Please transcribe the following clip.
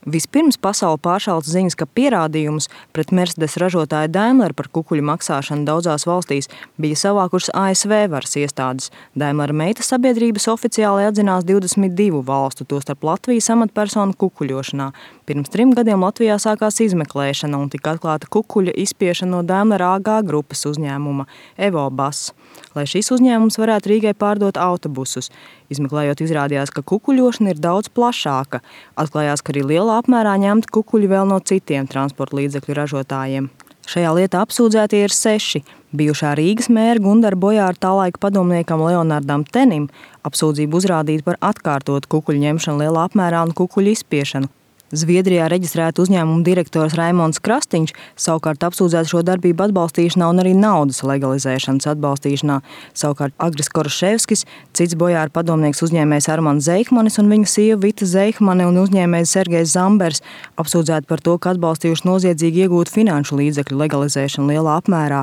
Vispirms pasauli pāršauca ziņas, ka pierādījumus pret Mercedes ražotāju Daimler par kukuļu maksāšanu daudzās valstīs bija savākušas ASV varas iestādes. Daimler meitas sabiedrības oficiāli atzinās 22 valstu, tostarp Latvijas amatpersonu kukuļošanā. Pirms 3 gadiem Latvijā sākās izmeklēšana un tika atklāta kukuļa izspiešana no Daimler AG grupas uzņēmuma EvoBus, lai šis uzņēmums varētu Rīgai pārdot autobusus. Izmeklējot, izrādījās, ka kukuļošana ir daudz plašāka. Atklājās, ka arī lielā apmērā ņemti kukuļi vēl no citiem transporta līdzekļu ražotājiem. Šajā lietā apsūdzētie ir 6. Bijušā Rīgas mēra Gundara Bojāra tālaika padomniekam Leonardam Tenim apsūdzību uzrādīta par atkārtotu kukuļu ņemšanu lielā apmērā un kukuļu izspiešanu. Zviedrijā reģistrēta uzņēmuma direktors Raimonds Krastīņš savukārt apsūdzēts šo darbību atbalstīšanā un arī naudas legalizēšanas atbalstīšanā. Savukārt Agris Koroševskis, cits Bojāra padomnieks uzņēmējs Armands Zeihmanis un viņa sieva Vita Zeihmane un uzņēmējs Sergejs Zambers apsūdzēti par to, ka atbalstījuši noziedzīgi iegūt finanšu līdzekļu legalizēšanu lielā apmērā.